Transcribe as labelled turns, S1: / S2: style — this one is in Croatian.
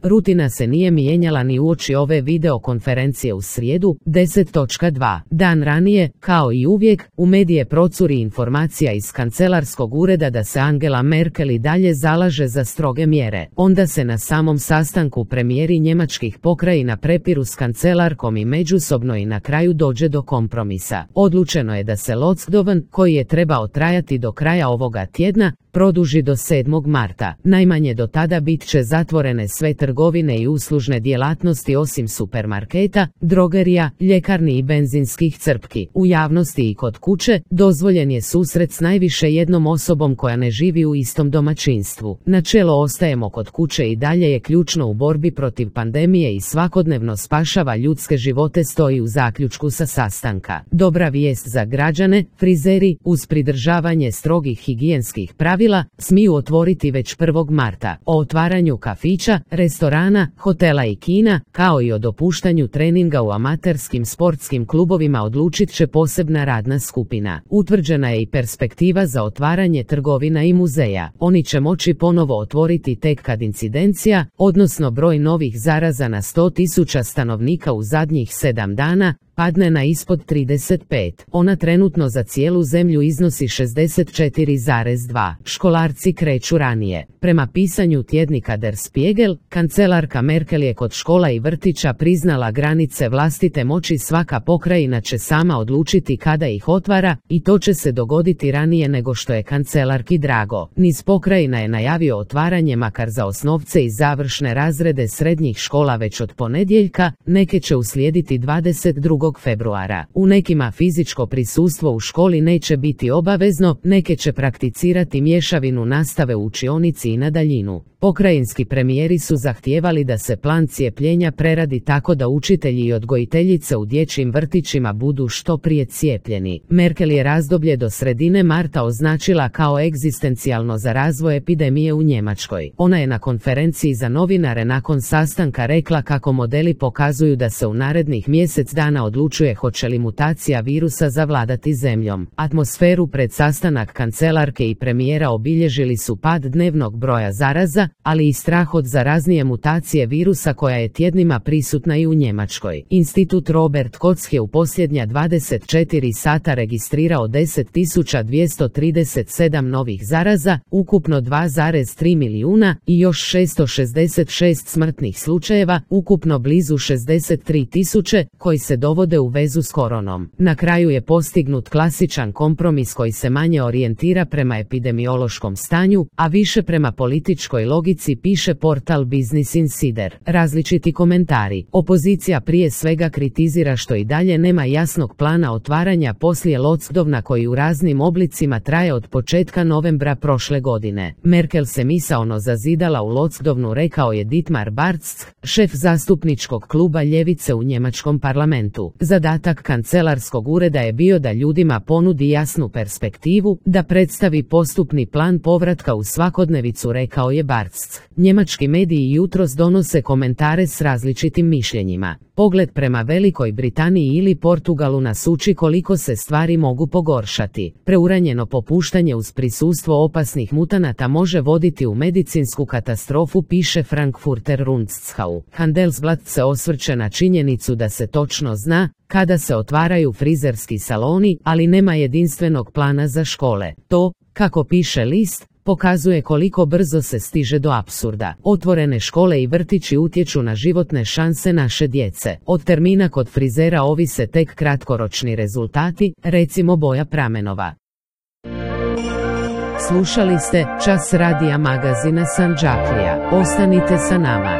S1: Rutina se nije mijenjala ni uoči ove videokonferencije u srijedu, 10.2. Dan ranije, kao i uvijek, u medije procuri informacija iz kancelarskog ureda da se Angela Merkel i dalje zalaže za stroge mjere. Onda se na samom sastanku premijeri njemačkih pokrajina prepiru s kancelarkom i međusobno i na kraju dođe do kompromisa. Odlučeno je da se lockdown, koji je trebao trajati do kraja ovoga tjedna, produži do 7. marta. Najmanje do tada bit će zatvorene sve trgovine i uslužne djelatnosti osim supermarketa, drogerija, ljekarni i benzinskih crpki. U javnosti i kod kuće dozvoljen je susret s najviše jednom osobom koja ne živi u istom domaćinstvu. Načelo ostajemo kod kuće i dalje je ključno u borbi protiv pandemije i svakodnevno spašava ljudske živote, stoji u zaključku sa sastanka. Dobra vijest za građane, frizeri, uz pridržavanje strogih higijenskih pravila, smiju otvoriti već 1. marta. O otvaranju kafića, restorana, hotela i kina, kao i o dopuštanju treninga u amaterskim sportskim klubovima odlučit će posebna radna skupina. Utvrđena je i perspektiva za otvaranje trgovina i muzeja. Oni će moći ponovo otvoriti tek kad incidencija, odnosno broj novih zaraza na 100.000 stanovnika u zadnjih 7 dana, padne na ispod 35. Ona trenutno za cijelu zemlju iznosi 64,2. Školarci kreću ranije. Prema pisanju tjednika Der Spiegel, kancelarka Merkel je kod škola i vrtića priznala granice vlastite moći. Svaka pokrajina će sama odlučiti kada ih otvara i to će se dogoditi ranije nego što je kancelarki drago. Niz pokrajina je najavio otvaranje makar za osnovce i završne razrede srednjih škola već od ponedjeljka, neke će uslijediti 22. februara. U nekima fizičko prisustvo u školi neće biti obavezno, neke će prakticirati mješavinu nastave u učionici i na daljinu. Pokrajinski premijeri su zahtijevali da se plan cijepljenja preradi tako da učitelji i odgojiteljice u dječjim vrtićima budu što prije cijepljeni. Merkel je razdoblje do sredine marta označila kao egzistencijalno za razvoj epidemije u Njemačkoj. Ona je na konferenciji za novinare nakon sastanka rekla kako modeli pokazuju da se u narednih mjesec dana odlučuje hoće li mutacija virusa zavladati zemljom. Atmosferu pred sastanak kancelarke i premijera obilježili su pad dnevnog broja zaraza, ali i strah od zaraznije mutacije virusa koja je tjednima prisutna i u Njemačkoj. Institut Robert Koch je u posljednja 24 sata registrirao 10.237 novih zaraza, ukupno 2,3 milijuna i još 666 smrtnih slučajeva, ukupno blizu 63.000, koji se dovode u vezu s koronom. Na kraju je postignut klasičan kompromis koji se manje orijentira prema epidemiološkom stanju, a više prema političkoj logici, piše portal Business Insider. Različiti komentari. Opozicija prije svega kritizira što i dalje nema jasnog plana otvaranja poslije lockdowna koji u raznim oblicima traje od početka novembra prošle godine. Merkel se misaono zazidala u lockdownu, rekao je Dietmar Bartsch, šef zastupničkog kluba ljevice u njemačkom parlamentu. Zadatak kancelarskog ureda je bio da ljudima ponudi jasnu perspektivu, da predstavi postupni plan povratka u svakodnevicu, rekao je Bartsch. Njemački mediji jutros donose komentare s različitim mišljenjima. Pogled prema Velikoj Britaniji ili Portugalu nas uči koliko se stvari mogu pogoršati. Preuranjeno popuštanje uz prisustvo opasnih mutanata može voditi u medicinsku katastrofu, piše Frankfurter Rundschau. Handelsblatt se osvrće na činjenicu da se točno zna kada se otvaraju frizerski saloni, ali nema jedinstvenog plana za škole. To, kako piše list, pokazuje koliko brzo se stiže do apsurda. Otvorene škole i vrtići utječu na životne šanse naše djece. Od termina kod frizera ovise tek kratkoročni rezultati, recimo boja pramenova. Slušali ste Čas radija magazina Sanđaklija. Ostanite sa nama.